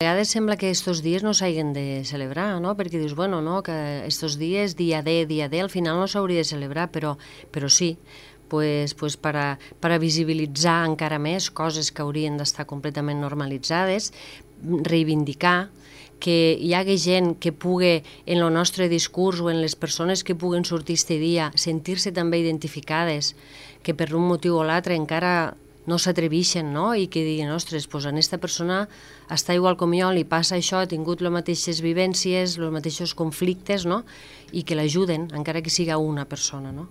A vegades sembla que estos dies no s'hagin de celebrar, no? Perquè dius, bueno, no, que estos dies, dia D, al final no s'hauria de celebrar, però sí, pues per a visibilitzar encara més coses que haurien d'estar completament normalitzades, reivindicar que hi hagi gent que pugui, en el nostre discurs o en les persones que puguen sortir este dia, sentir-se també identificades, que per un motiu o l'altre encara no s'atreveixen, no? I que diguin, ostres, doncs a aquesta persona està igual com jo, li passa això, ha tingut les mateixes vivències, els mateixos conflictes, no? I que l'ajuden, encara que siga una persona, no?